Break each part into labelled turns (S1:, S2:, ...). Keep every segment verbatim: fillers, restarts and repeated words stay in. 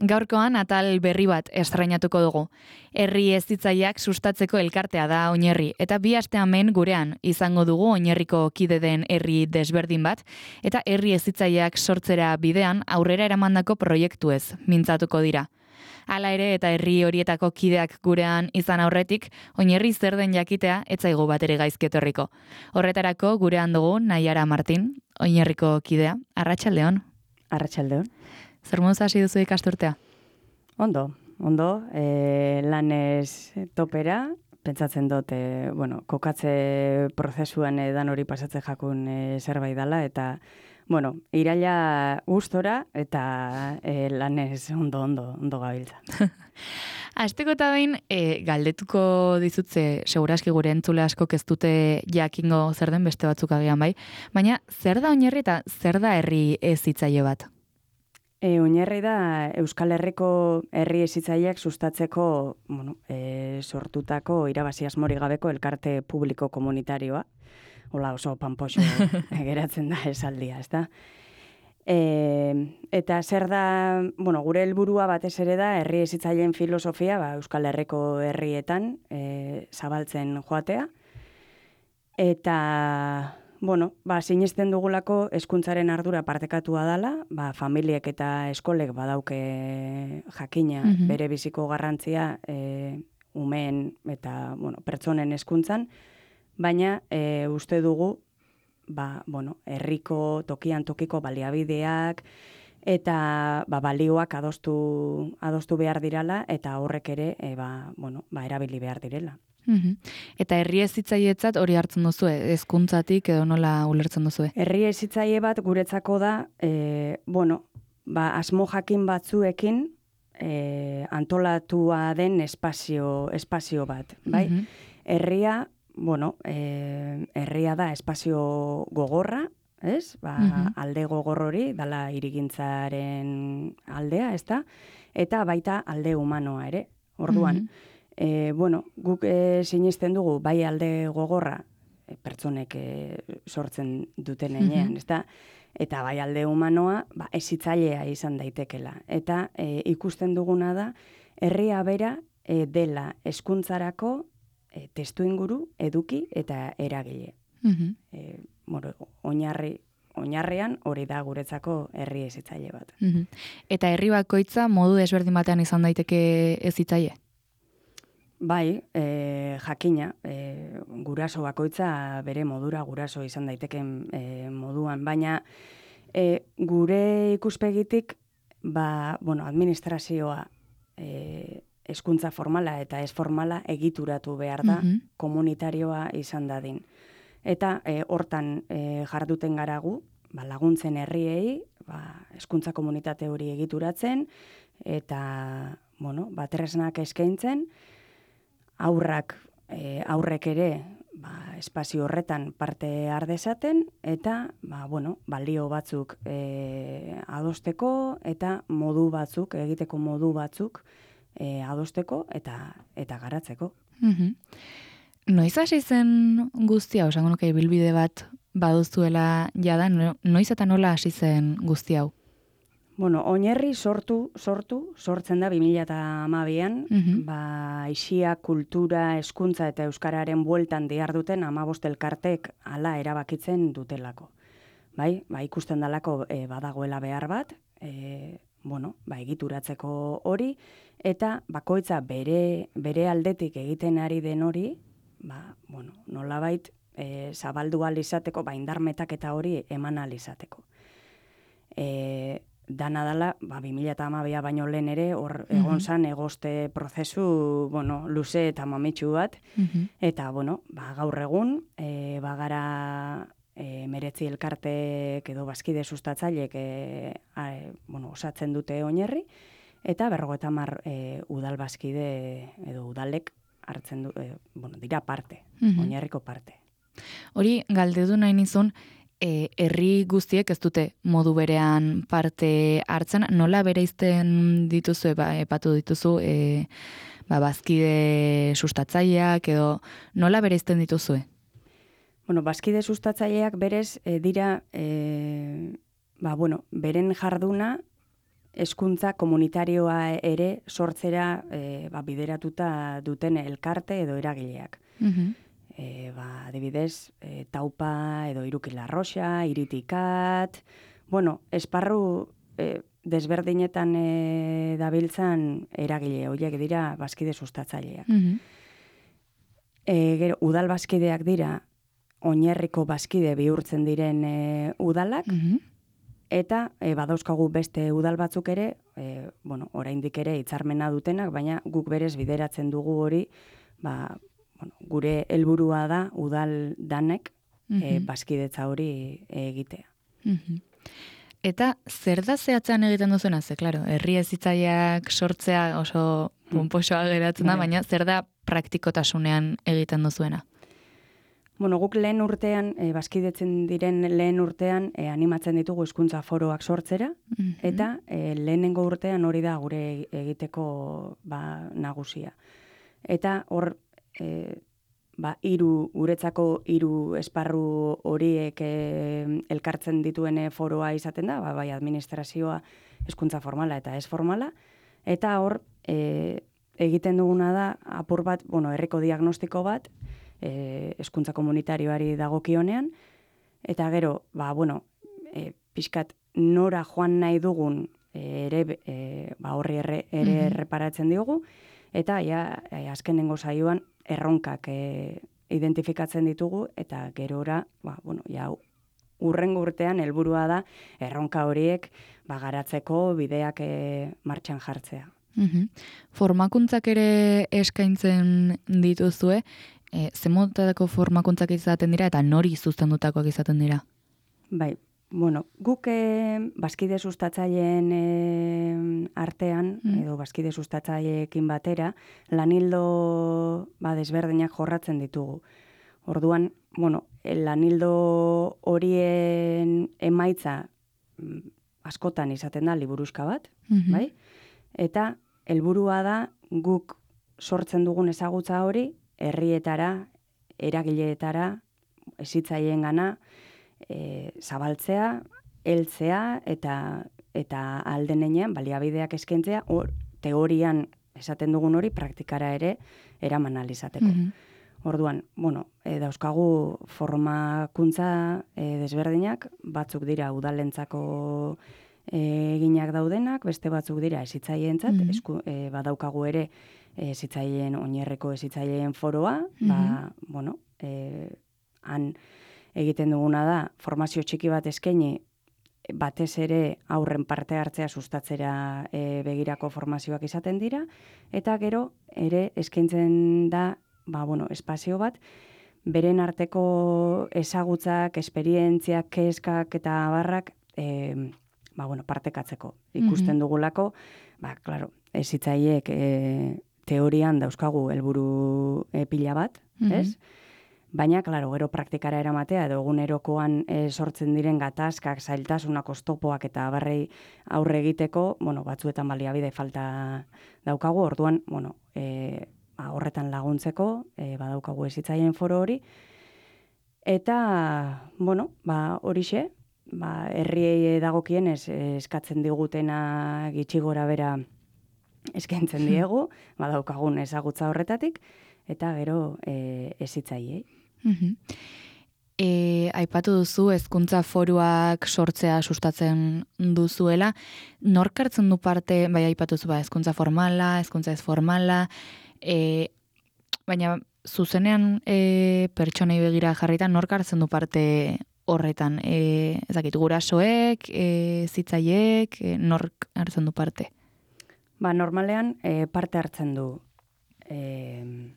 S1: Gaurkoan atal berri bat estrainatuko dugu. Herri hezitzaileak sustatzeko elkartea da Oinerri, eta bi aste hemen gurean izango dugu Oinerriko kide den herri desberdin bat, eta herri hezitzaileak sortzera bidean aurrera eramandako proiektuez mintzatuko dira. Hala ere eta herri horietako kideak gurean izan aurretik, Oinerri zer den jakitea ez zaigu batere gaizki etorriko. Horretarako gurean dugu Naiara Martin, Oinerriko kidea. Arratsaldeon.
S2: Arratsaldeon.
S1: Zer moduz hasi duzu ikasturtea?
S2: Ondo, ondo, e, lanez topera, pentsatzen dut, e, bueno, kokatze prozesuan edan hori pasatzen jakun e, zerbait dela, eta, bueno, iraila gustora eta e, lanez ondo, ondo, ondo gabiltza.
S1: Azteko eta behin, e, galdetuko dizutze, seguraski gure entzule askok ez dute jakingo zer den beste batzuk agian bai, baina zer da Oinerri eta zer da herri hezitzaile bat?
S2: E, Oinerri da Euskal Herriko herri hezitzaileak sustatzeko bueno, e, sortutako irabazi asmorik gabeko elkarte publiko komunitarioa. Hola oso panpoxo geratzen da esaldia, ezta? E, eta zer da, bueno, gure helburua batez ere da herri hezitzaileen filosofia ba, Euskal Herriko herrietan e, zabaltzen joatea. Eta bueno, ba, sinisten dugulako hezkuntzaren ardura partekatua dela, ba, familiek eta eskolek badauke jakina mm-hmm. bere biziko garrantzia e, umeen eta bueno, pertsonen hezkuntzan, baina e, uste dugu ba, bueno, herriko tokian tokiko baliabideak eta ba, balioak adostu, adostu behar dirala eta horrek ere e, ba, bueno, ba, erabili behar direla.
S1: Uhum. Eta herri hezitzailetzat hori hartzen duzu, hezkuntzatik edo nola ulertzen duzu?
S2: Herri hezitzaile bat guretzako da, e, bueno, ba, asmo jakin batzuekin e, antolatua den espazio, espazio bat, bai? Uhum. Herria, bueno, e, herria da espazio gogorra, ez? Ba, uhum. Alde gogor hori, dala hirigintzaren aldea, ez da? Eta baita alde humanoa ere, orduan. Uhum. E, bueno, guk e, sinisten dugu bai alde gogorra e, pertsonek e, sortzen duten enean, mm-hmm. ezta? Eta bai alde humanoa ba, hezitzailea izan daitekela. Eta e, ikusten duguna da, herria bera e, dela hezkuntzarako e, testuinguru, eduki eta eragile. Mm-hmm. E, bueno, oinarri oinarrean hori da guretzako herri hezitzaile bat.
S1: Mm-hmm. Eta herri bakoitza modu desberdin batean izan daiteke hezitzaile?
S2: Bai, e, jakina, e, guraso bakoitza bere modura guraso izan daiteken e, moduan, baina e, gure ikuspegitik, ba, bueno, administrazioa e, hezkuntza formala eta ez formala egituratu behar da, mm-hmm. komunitarioa izan dadin. Eta e, hortan e, jarduten garagu, ba, laguntzen herriei, ba, hezkuntza komunitate hori egituratzen, eta, bueno, ba, tresnak eskaintzen, aurrak, e, aurrek ere ba, espazio horretan parte har dezaten eta ba, bueno, balio batzuk e, adosteko eta modu batzuk, egiteko modu batzuk e, adosteko eta eta garatzeko.
S1: Mm-hmm. Noiz hasi zen guztia, osango nuke ibilbide bat baduzuela jada, noiz eta nola hasi zen guzti hau?
S2: Bueno, Oinerri sortu, sortu, sortzen da bi mila hamabian, mm-hmm. ba, aisia, kultura, hezkuntza eta euskararen bueltan diharduten hamabost elkartek hala erabakitzen dutelako. Bai, ba, ikusten dalako e, badagoela behar bat, e, bueno, ba, egituratzeko hori, eta bakoitza bere, bere aldetik egiten ari den hori, ba, bueno, nolabait e, zabaldu ahal izateko, ba, indarmetak eta hori eman ahal izateko. E, Dana dala, ba, bi mila hamabia baino lehen ere, hor egon zan egoste prozesu, bueno, luze eta mamitsu bat, mm-hmm. eta, bueno, ba, gaur egun, e, bagara e, meretzi elkartek edo bazkide sustatzailek e, a, e, bueno, osatzen dute Oinerri, eta berrogeita hamar e, udal bazkide edo udalek hartzen du, e, bueno, dira parte, mm-hmm. Oinerriko parte.
S1: Hori, galdedu nahi nizun, E, herri guztiek ez dute modu berean parte hartzen, nola bereizten dituzu, ba, epatu dituzu, e, ba, bazkide sustatzaileak edo nola bereizten dituzue?
S2: Bueno, bazkide sustatzaileak berez e, dira, e, ba, bueno, beren jarduna hezkuntza komunitarioa ere sortzera e, ba, bideratuta duten elkarte edo eragileak.
S1: Mhm.
S2: E, ba, adibidez, e, Taupa edo Irukila Roxa, Iritikat, bueno, esparru e, desberdinetan e, dabiltzan eragile horiek dira bazkide sustatzaileak.
S1: Mhm.
S2: E, gero, udal bazkideak dira oinarriko bazkide bihurtzen diren e, udalak,
S1: Mhm.
S2: eta e, badauzkagu beste udal batzuk ere, e, bueno, oraindik ere hitzarmena dutenak, baina guk berez bideratzen dugu hori, ba, bueno, gure helburua da udal danek e,
S1: Mhm.
S2: bazkidetza hori egitea.
S1: Mhm. Eta zer da zehatzean egiten duzuena? Ze, klaro, herri hezitzaileak sortzea oso pomposoa geratzen da,
S2: Bai.
S1: baina zer da praktikotasunean egiten duzuena?
S2: Bueno, guk lehen urtean, e, bazkidetzen diren lehen urtean, e, animatzen ditugu hizkuntza foroak sortzera,
S1: Mhm.
S2: eta e, lehenengo urtean hori da gure egiteko ba, nagusia. Eta hor, e, ba, hiru guretzako hiru esparru horiek e, elkartzen dituen foroa izaten da, ba, bai administrazioa, hezkuntza formala eta ez formala, eta hor e, egiten duguna da apur bat, bueno, herriko diagnostiko bat, e, hezkuntza komunitarioari dagokionean, eta gero, ba, bueno, e, pixkat nora joan nahi dugun e, ere, e, ba, horri ere, ere
S1: Mhm.
S2: erreparatzen diogu, eta ja, e, azkenengo saioan erronkak e, identifikatzen ditugu, eta gerora, ba, bueno, ja, urrengo urtean helburua da erronka horiek ba, garatzeko bideak e, martxan jartzea.
S1: Mhm. Formakuntzak ere eskaintzen dituzue, e, ze motatako formakuntzak izaten dira eta nori zuzendutakoak izaten dira?
S2: Bai, bueno, guk e, bazkide sustatzaileen e, artean,
S1: Mm.
S2: edo bazkide sustatzaileekin batera, lanildo ba, desberdinak jorratzen ditugu. Orduan, bueno, lanildo horien emaitza mm, askotan izaten da liburuxka bat,
S1: Mhm.
S2: bai? Eta helburua da guk sortzen dugun ezagutza hori herrietara, eragileetara, hezitzailengana e, zabaltzea, heltzea eta eta aldenean baliabideak eskaintzea, hor teorian esaten dugun hori praktikara ere eraman ahal izateko.
S1: Mhm.
S2: Orduan, bueno, e, dauzkagu formakuntza e, desberdinak, batzuk dira udalentzako e, eginak daudenak, beste batzuk dira hezitzaileentzat,
S1: Mhm.
S2: esku, e, badaukagu ere hezitzaileen oinarriko hezitzaileen foroa,
S1: Mhm.
S2: ba, bueno, e, han egiten duguna da formazio txiki bat eskaini batez ere aurren parte hartzea sustatzera e, begirako formazioak izaten dira, eta gero ere eskaintzen da ba, bueno, espazio bat, beren arteko ezagutzak, esperientziak, kezkak eta abarrak e, ba, bueno, partekatzeko. Ikusten dugulako, ba, claro, hezitzaileek e, teorian dauzkagu helburu e, pila bat, ez? Baina, claro, gero praktikara eramatea edo egunerokoan e, sortzen diren gatazkak, zailtasunak, oztopoak eta abarrei aurre egiteko, bueno, batzuetan baliabide falta daukagu, orduan, bueno, e, ba, horretan laguntzeko, e, badaukagu hezitzaileen foro hori, eta, bueno, ba, horixe, ba, herriei dagokienez eskatzen digutena gitxi gora bera eskaintzen diegu, badaukagun ezagutza horretatik, eta gero e, hezitzaileei.
S1: Mhm. E, aipatu duzu hezkuntza foruak sortzea sustatzen duzuela, nork hartzen du parte, bai aipatu duzu ba, hezkuntza formala, hezkuntza ez formala, e, baina zuzenean e, pertsonei begira jarrita nork hartzen du parte horretan, e, ez dakit, gurasoek, e, zitzaiek, e, nork hartzen du parte?
S2: Ba, normalean e, parte hartzen du e,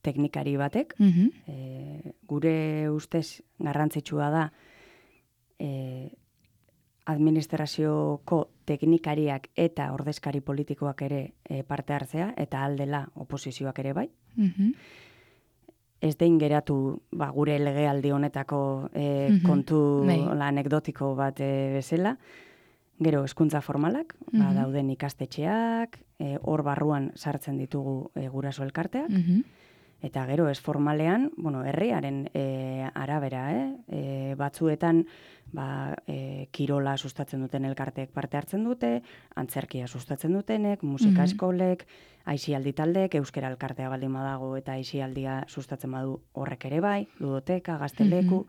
S2: teknikari batek,
S1: Mhm.
S2: e, gure ustez garrantzitsua da e, administrazioko teknikariak eta ordezkari politikoak ere e, parte hartzea, eta aldela oposizioak ere bai.
S1: Mhm.
S2: Ez dein geratu ba, gure legealdi honetako e,
S1: Mhm.
S2: kontu
S1: Bai.
S2: la, anekdotiko bat e, bezala. Gero hezkuntza formalak, ba,
S1: Mhm.
S2: dauden ikastetxeak, e, hor barruan sartzen ditugu e, guraso elkarteak,
S1: Mhm.
S2: Eta gero ez formalean, bueno, herriaren e, arabera, eh? E, batzuetan ba, e, kirola sustatzen duten elkarteek parte hartzen dute, antzerkia sustatzen dutenek, musika eskolek, aisialdi taldeek, euskera elkartea baldin badago eta aisialdia sustatzen badu horrek ere bai, ludoteka, gazteleku.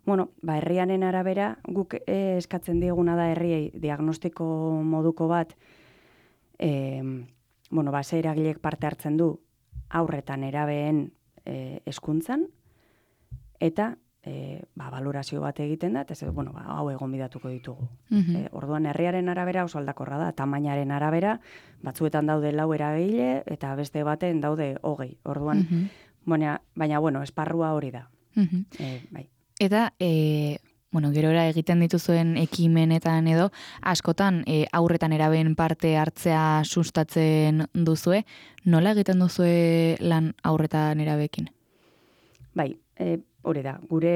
S2: Bueno, ba, herriaren arabera guk e, eskatzen dieguna da herriei diagnostiko moduko bat, e, bueno, ba, ze eragilek parte hartzen du aurretan erabeen e, hezkuntzan eta e, ba, valorazio bat egiten da, eta bueno, ba, hau egon bidatuko ditugu.
S1: Mm-hmm.
S2: E, orduan herriaren arabera oso aldakorra da, tamainaren arabera, batzuetan daude lau eragile eta beste baten daude hogei. Orduan, mm-hmm. baina, baina, bueno, esparrua hori da.
S1: Mm-hmm.
S2: E, bai.
S1: Eta, e, bueno, gerora egiten dituzuen ekimenetan edo, askotan e, aurretan eraben parte hartzea sustatzen duzue, nola egiten duzue lan aurretan erabekin?
S2: Bai, e, hori da, gure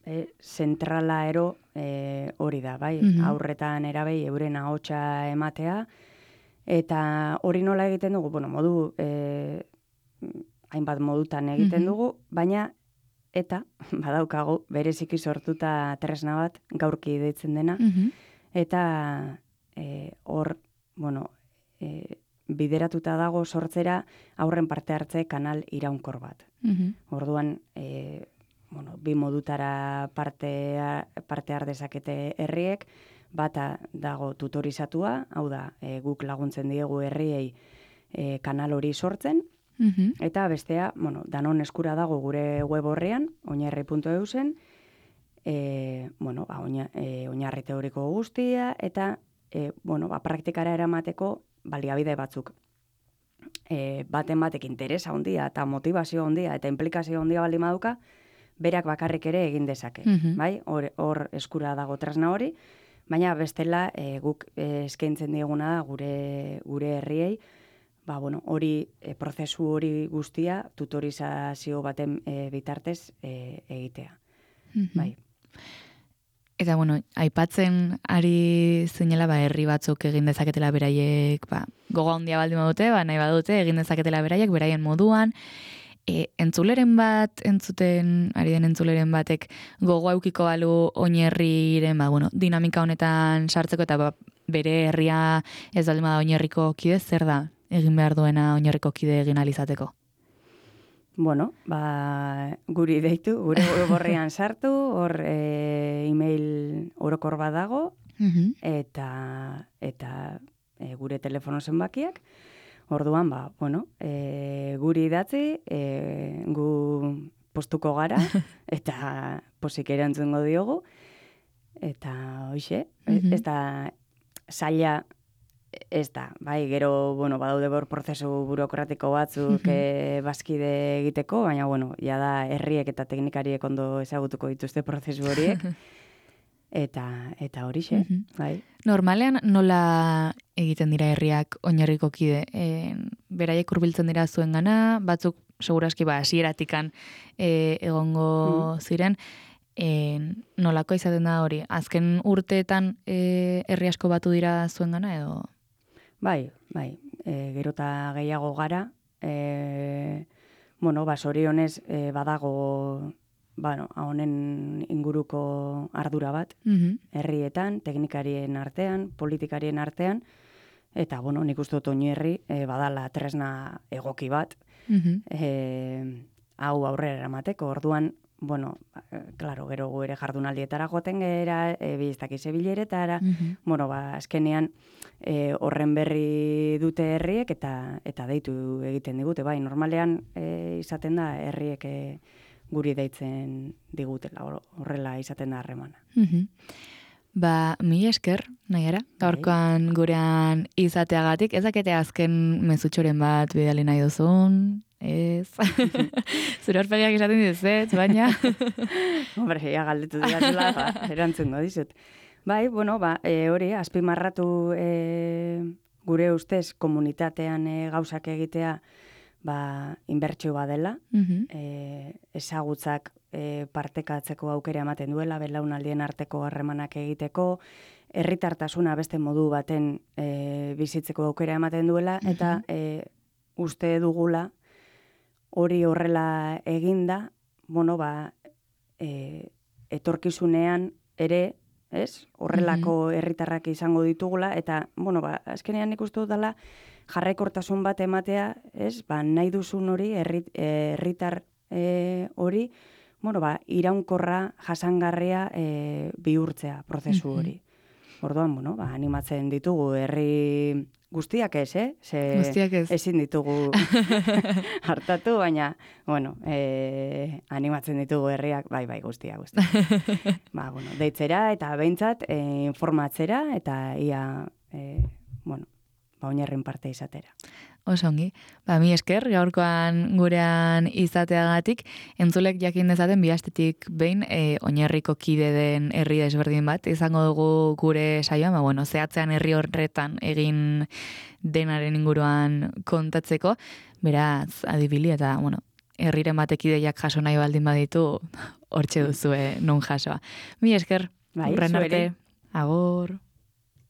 S2: e, zentrala ero e, hori da, bai, mm-hmm. aurretan erabei euren ahotsa ematea, eta hori nola egiten dugu, bueno, modu, e, hainbat modutan egiten mm-hmm. dugu, baina eta badaukagu bereziki sortuta tresna bat gaurki deitzen dena, mm-hmm. eta hor, e, bueno, e, bideratuta dago sortzera aurren parte hartze kanal iraunkor bat. Mm-hmm. Orduan, e, bueno, bi modutara parte, parte har dezakete herriek, bata dago tutorizatua, hau da, e, guk laguntzen diegu herriei e, kanal hori sortzen, mm-hmm. eta bestea, bueno, danon eskura dago gure web horrean, oinarri puntu e u zen, e, bueno, ba, oina, e, oinarri teoriko guztia, eta e, bueno, ba, praktikara eramateko baliabide batzuk. E, baten batek interesa handia eta motivazio handia eta implikazio handia baldin baduka, berak bakarrik ere egin dezake. Mm-hmm. Bai? Hor, hor eskura dago tresna hori, baina bestela e, guk e, eskaintzen dieguna da gure, gure herriei, ba, bueno, hori, e, prozesu hori guztia tutorizazio baten e, bitartez e, egitea. Mm-hmm. Bai.
S1: Eta, bueno, aipatzen ari zinela, ba, herri batzuk egin dezaketela beraiek, ba, gogo handia baldin badute, ba, nahi badute, egin dezaketela beraiek, beraien moduan. E, entzuleren bat, entzuten, ari den entzuleren batek, gogo aukiko balu oinherriren, ba, bueno, dinamika honetan sartzeko, eta ba, bere herria ez baldin bada oinherriko kide, zer da egin behar duena oinherriko kide egin alizateko?
S2: Bueno, ba, guri deitu, gure borrean sartu, hor e, email orokor bat dago, mm-hmm. eta, eta e, gure telefono zenbakiak. Orduan, ba, bueno, e, guri idatzi, e, gu postuko gara, eta posik erantzungo diogu, eta hoxe, mm-hmm. ez da zaila, ez da, bai, gero, bueno, badaude bor prozesu burokratiko batzuk e, bazkide egiteko, baina, bueno, ja da herriek eta teknikariek ondo ezagutuko dituzte prozesu horiek, eta eta horixe, mm-hmm. bai.
S1: Normalean nola egiten dira herriak oinarriko kide? E, beraiek hurbiltzen dira zuen gana, batzuk seguraski ba hasieratikan e, egongo mm-hmm. ziren, e, nolako izaten da hori? Azken urteetan e, herri asko batu dira zuen gana edo?
S2: Bai, bai, e, gero eta gehiago gara, e, bueno, ba, sorionez e, badago, bueno, honen inguruko ardura bat, mm-hmm. herrietan, teknikarien artean, politikarien artean, eta, bueno, nik uste dut oinarri e, badala tresna egoki bat, mm-hmm. e, hau aurrera eramateko, orduan, bueno, claro, gero ere jardunaldietara joaten gera, e, biztaki zebileretara, mm-hmm. bueno, ba, azkenean e, horren berri dute herriek eta eta deitu egiten digute, bai, normalean e, izaten da herriek e, guri deitzen digutela, horrela izaten da harremana.
S1: Mm-hmm. Ba, mi esker, nahiara, gaurkoan gurean izateagatik, ezakete azken mezutxoren bat bidali nahi duzun, ez. Zure horpegiak esaten dizet, baina.
S2: Hombre, ja galdetu dira, ba, erantzungo dizut. Bai, bueno, ba, e, hori, azpimarratu e, gure ustez komunitatean e, gauzak egitea ba, inbertsio badela, mm-hmm. e, ezagutzak e, partekatzeko aukera ematen duela, belaunaldien arteko harremanak egiteko, herritartasuna beste modu baten e, bizitzeko aukera ematen duela, mm-hmm. eta e, uste dugula hori horrela eginda, bueno, ba, e, etorkizunean ere, ez? Horrelako herritarrak izango ditugula, eta, bueno, ba, azkenean nik uste dut dela jarraikortasun bat ematea, ez? Ba, nahi duzun hori, herritar e, hori, bueno, ba, iraunkorra, jasangarria e, bihurtzea prozesu hori. Orduan, bueno, ba, animatzen ditugu herri guztiak ez, eh? Ze
S1: guztiak ez.
S2: Ezin ditugu hartatu, baina, bueno, e, animatzen ditugu herriak, bai, bai, guztia, guztia. Ba, bueno, deitzera eta behintzat e, informatzera eta ia, e, bueno, ba, oinarren parte izatera.
S1: Oso ongi. Ba, mi esker, gaurkoan gurean izateagatik, entzulek jakin dezaten bihastetik behin e, oinarriko kide den herri desberdin bat. Izango dugu gure saioa, ba, bueno, zehatzean herri horretan egin denaren inguruan kontatzeko, beraz, adibili eta, bueno, herriren batek ideiak jaso nahi baldin baditu, hortxe duzue non jasoa. Mi esker,
S2: bai,
S1: urren arte,
S2: zuere.
S1: agor.